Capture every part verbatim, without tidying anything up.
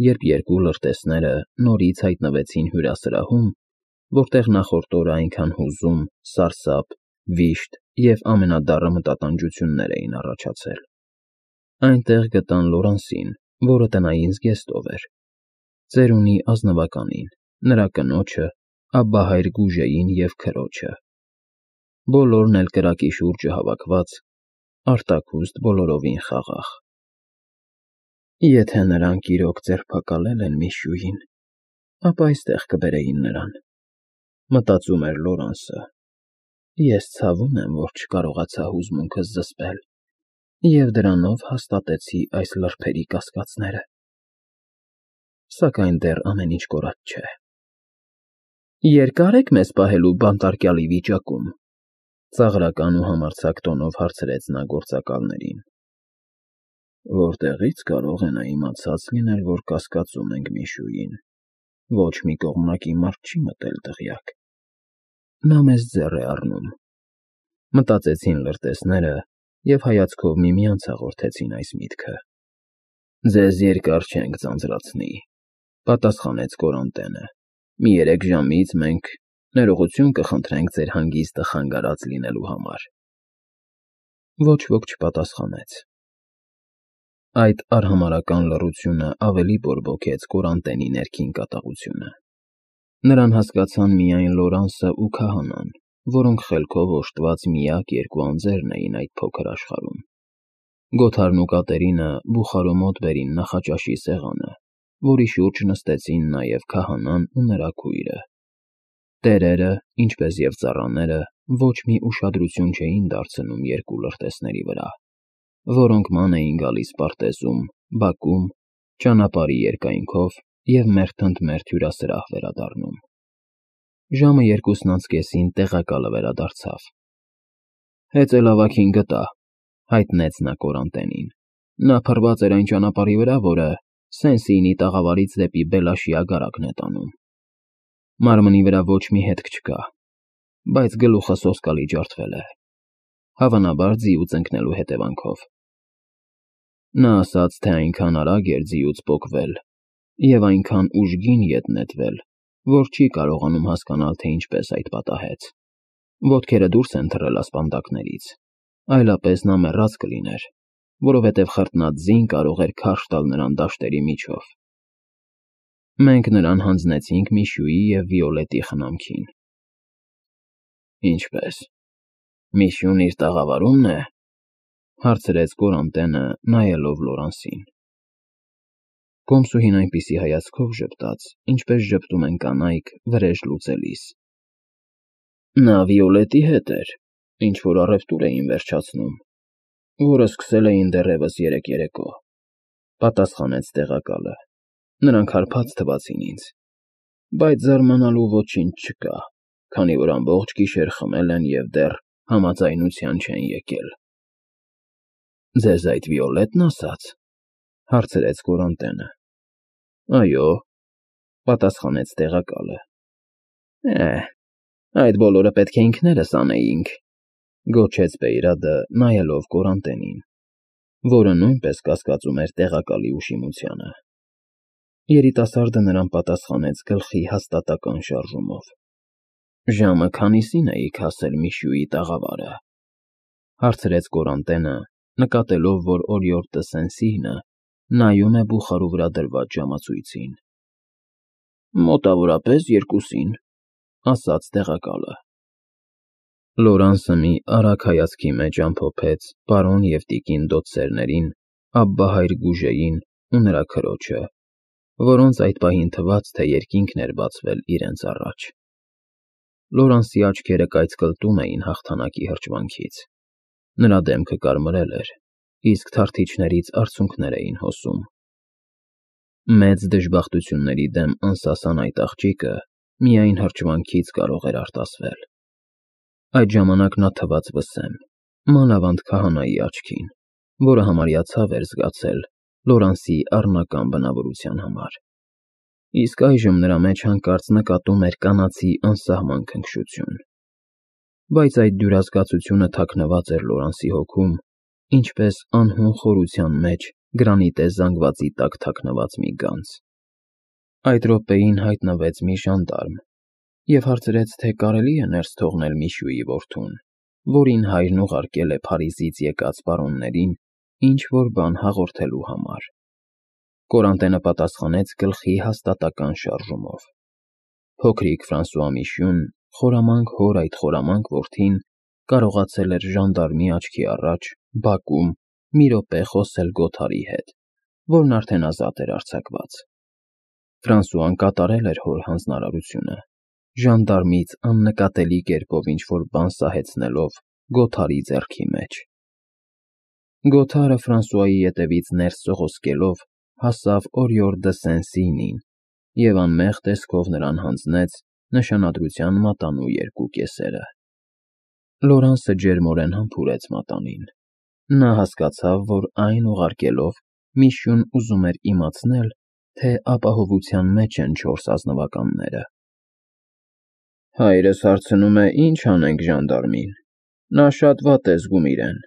երբ երկու լրտեսները նորից հայտնվեցին հյուրասրահում, որտեղ նախորդ օրը այնքան հուզում, սարսափ, վիշտ և ամենադառը մտատանջություններ էին առաջացել։ Այնտեղ գտան Լորանսին, որը տնային զգեստով էր, ծերունի ազնվականին, նրա կնոջը, Աբբահայր Գուժեին և քրոջը։ Բոլորն էլ կրակի շուրջը հավաքված, արտաքուստ բոլորովին խաղաղ։ Եթե նրանք իրոք ձերբակալել են Միշյուին, ապա այստեղ կբերեին նրան, մտածում էր Լորանսը։ Ես ցավում եմ, որ չկարողացա հուզմունքս զսպել և դրանով հաստատեցի այս լրբերի կասկածները։ Սակայն դեռ ամեն ինչ կորած չէ։ Երկա՞ր եք մեզ պահելու բանտարկյալի վիճակում, ծաղրական ու համարձակ տոնով հարցրեց նա գործակալներին։ Որտեղի՞ց կարող է նա իմացած լինել, որ կասկածում ենք Միշյուին, ոչ մի կողմնակի մարդ չի մտել դղյակ։ Նա մեզ ձեռ է առնում, մտածեցին լրտեսները և հայացքով միմյանց հաղորդեցին այս միտքը։ Ձեզ երկար չենք ձանձրացնի, պատասխանեց Կորանտենը։ Մի երեք ժամից մենք ներողություն կխնդրենք ձեր հանգիստը խանգարած լինելու համար։ Ոչ ոք չպատասխանեց։ Այդ արհամարհական լռությունը ավելի բորբոքեց Կորանտենի ներքին կատաղությունը։ Նրան հասկացան միայն Լորանսը ու քահանան, որոնք խելքով օժտված միակ երկու անձերն էին այդ փոքր աշխարհում։ Գոթարն ու Կատերինը բուխարու մոտ բերին նախաճաշի սեղանը, որի շուրջ նստեցին նաև քահանան ու նրա քույրը։ Տերերը, ինչպես և ծառաները, ոչ մի ուշադրություն չէին դարձնում երկու լրտեսների վրա, որոնք ման էին գալիս պարտեզում, բակում, ճանապարհի երկայնքով և մերթընդմերթ հյուրասրահ վերադառնում։ Ժամը երկուսն անց կեսին տեղակալը վերադարձավ։ Հեծելավագին գտա, հայտնեց նա Կորանտենին։ Նա փռված էր այն ճանապարհի վրա, որը Սեն֊Սիինի տաղավարից դեպի Բելաշի ագարակն է տանում։ Մարմնի վրա ոչ մի հետք չկա, բայց գլուխը սոսկալի ջարդվել է, հավանաբար ձիուց ընկնելու հետևանքով։ Նա ասաց, թե այնքան արագ էր ձիուց պոկվել և այնքան ուժգին ետ նետվել, որ չի կարողանում հասկանալ, թե ինչպես այդ պատահեց։ Ոտքերը դուրս են թռել ասպանդակներից, այլապես նա մեռած կլիներ, որովհետև խրտնած ձին կարող էր քարշ տալ նրան դաշտերի միջով։ Մենք նրան հանձնեցինք Միշյուի և Վիոլետի խնամքին։ Ինչպե՞ս, Միշյուն իր տաղավարու՞մն է, հարցրեց Կորանտենը, նայելով Լորանսին։ Կոմսուհին այնպիսի հայացքով ժպտաց, ինչպես ժպտում են կանայք վրեժ լուծելիս։ Նա Վիոլետի հետ էր, ինչ֊որ առևտուր էին վերջացնում, որը սկսել էին դեռևս երեկ երեկո, պատասխանեց տեղակալը։ Նրանք հարբած թվացին ինձ, բայց զարմանալու ոչինչ չկա, քանի որ ամբողջ գիշեր խմել են և դեռ համաձայնության չեն եկել։ Ձեզ այդ Վիոլետն ասաց, հարցրեց Կորանտենը։ Այո, պատասխանեց տեղակալը։ Է, այդ բոլորը պետք է ինքներս անեինք, գոչեց Բեյրադը, նայելով Կորանտենին, որը նույնպես կասկածում էր տեղակալի ուշիմությանը։ Երիտասարդը նրան պատասխանեց գլխի հաստատակական շարժումով։ Ժամը քանիսին էիք հասել Միշյուի տաղավարը, հարցրեց Կորանտենը, նկատելով, որ օրիորդը Սեն֊Սիինը նայում է բուխարու վրա դրված ժամացույցին։ Մոտավորապես երկուսին, ասաց տեղակալը։ Լորանսը մի արագ հայացքի մեջ ամփոփեց պարոն և տիկին դոցերներին, Աբբահայր Գուժեին ու նրա քրոջը, որոնց այդ պահին թվաց, թե երկինքն էր բացվել իրենց առաջ։ Լորանսի աչքերը կայծկլտում էին հաղթանակի հրճվանքից։ Նրա դեմքը կարմրել էր, իսկ թարթիչներից արցունքներ էին հոսում։ Մեծ դժբախտությունների դեմ անսասան այդ աղջիկը միայն հրճվանքից կարող էր արտասվել։ Այդ ժամանակ նա թվաց վսեմ, մանավանդ քահանայի աչքին, որը համարյա ցավ էր զգացել Լորանսի առնական բնավորության համար։ Իսկ այժմ նրա մեջ հանկարծ նկատում էր կանացի անսահման քնքշություն։ Բայց այդ դյուրազգացությունը թաքնված էր Լորանսի հոգում, ինչպես անհուն խորության մեջ գրանիտե զանգվածի տակ թաքնված մի գանձ։ Այդ րոպեին հայտնվեց մի ժանդարմ և հարցրեց, թե կարելի է ներս թողնել Միշուի որդուն, որին հայրն ուղարկել է Փարիզից եկած պարոններին ինչ-որ բան հաղորդելու համար։ Կորանտենը պատասխանեց գլխի հաստատակամ շարժումով։ Փոքրիկ Ֆրանսուଆ Միշուն, խորամանկ հոր այդ խորամանկ որդին, կարողացել էր ժանդարմի աչքի առաջ, բակում, մի րոպե խոսել Գոթարի հետ, որն արդեն ազատ էր արձակված։ Ֆրանսուան կատարել էր հոր հանձնարարությունը, ժանդարմից աննկատելի կերպով ինչ֊որ բան սահեցնելով Գոթարի ձեռքի մեջ։ Գոթարը Ֆրանսուայի ետևից ներս սողոսկելով հասավ Օրիոր դը Սեն֊Սինին և անմեղ տեսքով նրան հանձնեց նշանադրության մատանու երկու կեսերը։ Լորանսը ջերմորեն համբուրեց մատանին։ Նա հասկացավ, որ այն ուղարկելով Միշուն ուզում էր իմացնել, թե ապահովության մեջ են չորս ազնվականները։ Հայրս հարցնում է, ինչ անենք ժանդարմին, նա շատ վատ է զգում իրեն։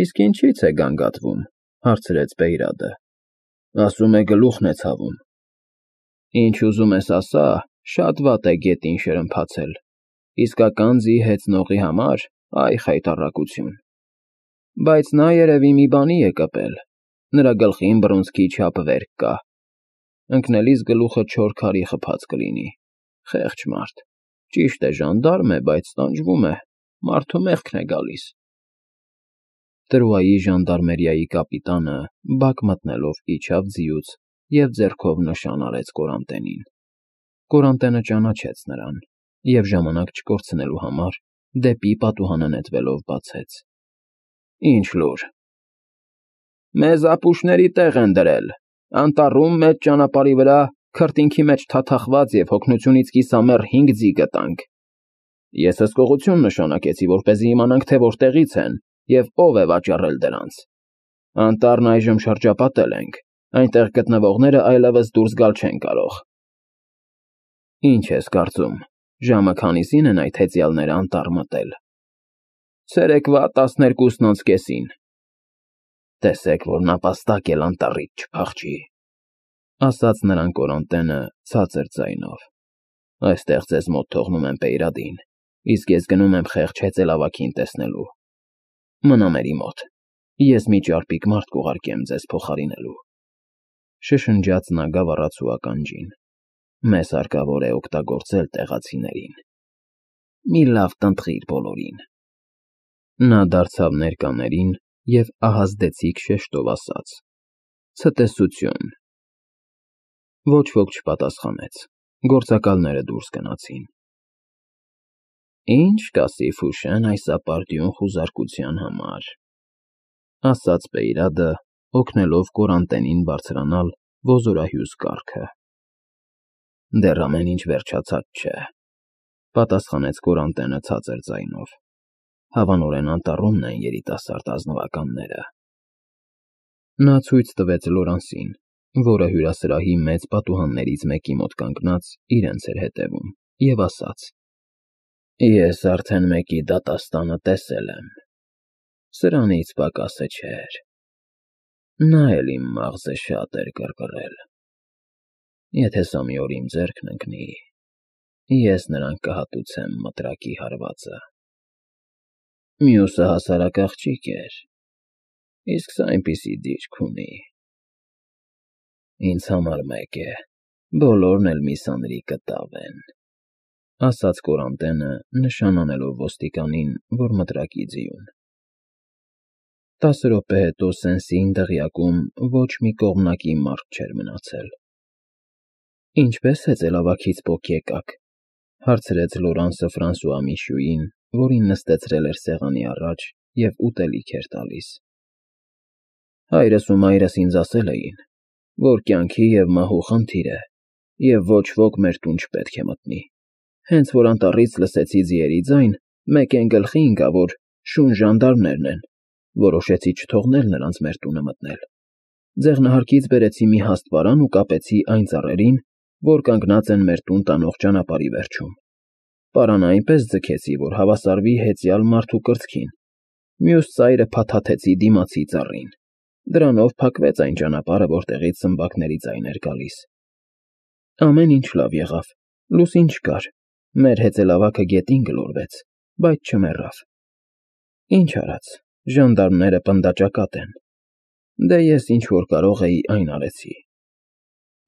Իսկ ինչի՞ց է գանգատվում, հարցրեց Բեյրադը։ Ասում է գլուխն է ցավում։ Ինչ ուզում ես ասա, շատ վատ է գետին շրմփացել, իսկական ձի հեծնողի համար, այ խայտառակություն։ Բայց նա երևի մի բանի է կպել, նրա գլխին բռունցքի չափ վերք կա։ Ընկնելիս գլուխը չոր քարի խփած կլինի, խեղճ մարդ, ճիշտ է ժանդարմ է, բայց տանջվում է, մարդու մեղքն է գալիս։ Տրուայի ժանդարմերիայի կապիտանը բակ մտնելով իջավ ձիուց և ձեռքով նշան արեց Կորանտենին։ Կորանտենը ճանաչեց նրան և ժամանակ չկորցնելու համար դեպի պատուհանը նետվելով բացեց. Ինչ լուր։ Մեզ ապուշների տեղ են դրել, անտառում մեծ ճանապարհի վրա քրտինքի մեջ թաթախված և հոգնությունից կիսամեռ հինգ ձի գտանք։ Ես հսկողություն նշանակեցի, որպեսզի իմանանք, թե որտեղից են և ով է վաճառել դրանց։ Անտառն այժմ շրջապատել ենք, այնտեղ գտնվողները այլևս դուրս գալ չեն կարող։ Ինչ ես կարծում, ժամը քանիսին են այդ հեծյալները անտառ մտել։ Ցերեկվա տասներկուսն անց կեսին։ Տեսեք, որ նապաստակ էլ անտառից չփախչի, ասաց նրան Կորանտենը ցածր ձայնով։ Այստեղ ձեզ մոտ թողնում եմ Բեյրադին, իսկ ես գնում եմ խեղճ հեծելավագին տեսնելու։ Մնա մերի մոտ, ես մի ճարպիկ մարդ կուղարկեմ ձեզ փոխարինելու։ Շշնջաց նա գավառացու ականջին։ Մեզ հարկավոր է օգտագործել տեղացիներին։ Մի լավ տնտղիր բոլորին։ Նա դարձավ ներկաներին և ահազդեցիկ շեշտով ասաց. Ցտեսություն։ Ոչ ոք չպատասխանեց, գործակալները դուրս գնացին։ Ինչ կասի Ֆուշեն այս ապարդյուն խուզարկության համար, ասաց Բեյրադը, օգնելով Կորանտենին բարձրանալ ոզորահյուս կառքը։ Դեռ ամեն ինչ վերջացած չէ, պատասխանեց Կորանտենը ցածր ձայնով։ Հավանորեն անտառումն են երիտասարդ ազնվականները։ Նա ցույց տվեց Լորանսին, որը հյուրասրահի մեծ պատուհաններից մեկի մոտ կանգնած իրենց էր հետևում, և ասաց. Ես արդեն մեկի դատաստանը տեսել եմ։ Սրանից պակասը չէր։ Նա էլ իմ մաղձը շատ էր կռկռել։ Եթե սա մի օր իմ ձեռքն ընկնի, ես նրան կհատուցեմ մտրակի հարվածը։ Մյուսը հասարակ աղջիկ էր, իսկ սա այնպիսի դիրք ունի։ Ինձ համար մեկ է, բոլորն էլ մի սանրի կտավ են, ասաց Կորանտենը, նշան անելով ոստիկանին, որ մտրակի ձիուն։ Տասը րոպե հետո Սեն-Սին դղյակում ոչ մի կողմնակի մարդ չէր մնացել։ Ինչպե՞ս հեծելավագից պոկ եկաք, հարցրեց Լորանսը Ֆրանսուଆ Միշուին, որին նստեցրել էր սեղանի առաջ և ուտելիք էր տալիս։ Հայրս ու մայրս ինձ ասել էին, որ կյանքի և մահու խնդիր է, և ոչ ոք մեր տուն չպետք է մտնի։ Հենց որ անտառից լսեցի ձիերի ձայն, մեկ էն գլխի ընկա, որ շուն ժանդարմներն են, որոշեցի չթողնել նրանց մեր տունը մտնել։ Ձեղնահարկից բերեցի մի հաստ պարան ու կապեցի այն ծառերին, որ կանգնած են մեր տուն տանող ճանապարհի վերջում։ Պարանը այնպես ձգեցի, որ հավասարվի հեծյալ մարդու կրծքին։ Մյուս ծայրը փաթաթեցի դիմացի ծառին։ Դրանով փակվեց այն ճանապարհը, որտեղից սմբակների ձայն էր գալիս։ Ամեն ինչ լավ եղավ, լուսին չկար, մեր հեծելավագը գետին գլորվեց, բայց չմեռավ։ Ինչ արած, ժանդարմները պնդաճակատ են, դե ես ինչ֊որ կարող էի, այն արեցի։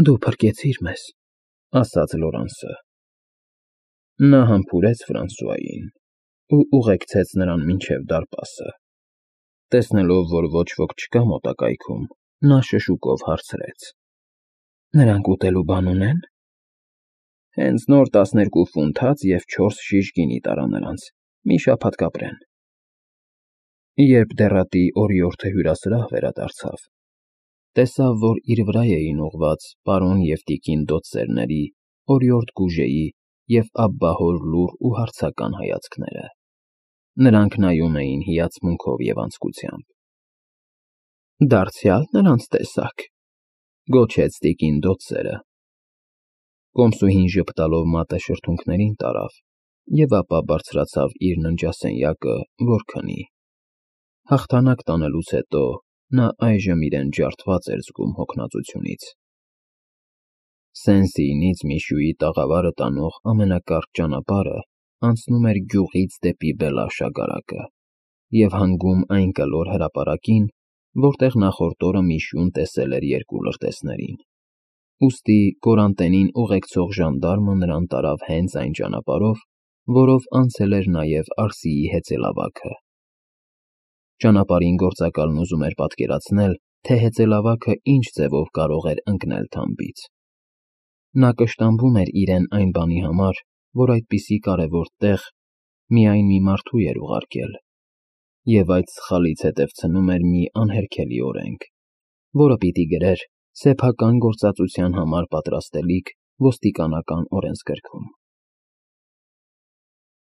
Դու փրկեցիր մեզ, ասաց Լորանսը։ Նա համբուրեց Ֆրանսուային ու ուղեկցեց նրան մինչև դարպասը։ Տեսնելով, որ ոչ ոք չկա մոտակայքում, նա շշուկով հարցրեց. Նրանք ուտելու բան ունե՞ն։ Հենց նոր տասներկու ֆունտ հաց և չորս շիշ գինի տարա նրանց, մի շաբաթ կապրեն։ Երբ դեռատի օրիորդը հյուրասրահ վերադարձավ, տեսավ, որ իր վրա էին ուղղված պարոն և տիկին Դոթսերների, օրիորդ Գուժեի և աբբահոր լուռ ու հարցական հայացքները։ Նրանք նայում էին հիացմունքով և անձկությամբ։ Դարձյալ նրանց տեսա՞ք, գոչեց տիկին Դոթսերը։ Կոմսուհին ժպտալով մատը շրթունքներին տարավ և ապա բարձրացավ իր ննջասենյակը, որ քնի։ Հաղթանակ տանելուց հետո նա այժմ իրեն ջարդված էր զգում հոգնածությունից։ Սեն֊Սիինից Միշուի տաղավարը տանող ամենակարճ ճանապարհը անցնում էր գյուղից դեպի Բելաշագարակը և հանգում այն կլոր հրապարակին, որտեղ նախորդ օրը Միշուն տեսել էր երկու լրտեսներին։ Ուստի կորանտենին ուղեկցող ժանդարմը նրան տարավ հենց այն ճանապարհով, որով անցել էր նաև Արսիի հեծելավագը։ Ճանապարհին գործակալն ուզում էր պատկերացնել, թե հեծելավագը ինչ ձևով կարող էր ընկնել թամբից։ Նա կշտամբում էր իրեն այն բանի համար, որ այդպիսի կարևոր տեղ միայն մի մարդու էր ուղարկել, և այդ սխալից հետևցնում էր մի անհերքելի օրենք, որը պիտի գրեր սեփական գործածության համար պատրաստելիք ոստիկանական օրենսգրքում։